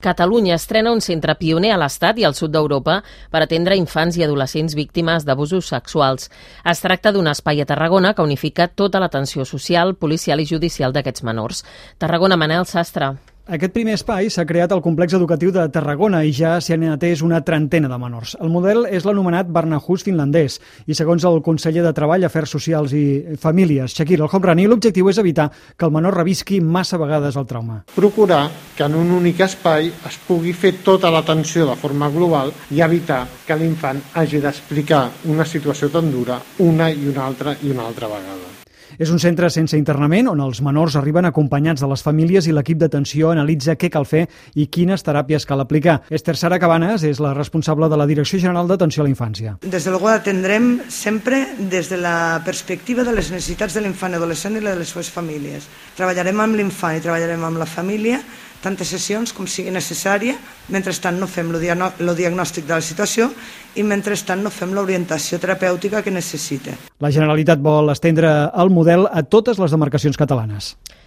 Catalunya estrena un centre pioner a l'Estat i al sud d'Europa per atendre infants i adolescents víctimes d'abusos sexuals. Es tracta d'un espai a Tarragona que unifica tota l'atenció social, policial i judicial d'aquests menors. Tarragona, Manel Sastre. Aquest primer espai s'ha creat al complex educatiu de Tarragona i ja s'hi han atès una trentena de menors. El model és l'anomenat Barnahus finlandès i segons el conseller de Treball, Afers Socials i Famílies, Shakir El-Homrani, l'objectiu és evitar que el menor revisqui massa vegades el trauma. Procurar que en un únic espai es pugui fer tota l'atenció de forma global i evitar que l'infant hagi d'explicar una situació tan dura una i una altra vegada. És un centre sense internament on els menors arriben acompanyats de les famílies i l'equip d'atenció analitza què cal fer i quines teràpies cal aplicar. Esther Sara Cabanes és la responsable de la Direcció General d'Atenció a la Infància. Desde luego atendrem sempre des de la perspectiva de les necessitats de l'infant i adolescent i de les seves famílies. Treballarem amb l'infant i treballarem amb la família tantes sessions com sigui necessària, mentrestant no fem el diagnòstic de la situació i mentrestant no fem l'orientació terapèutica que necessita. La Generalitat vol estendre el model a totes les demarcacions catalanes.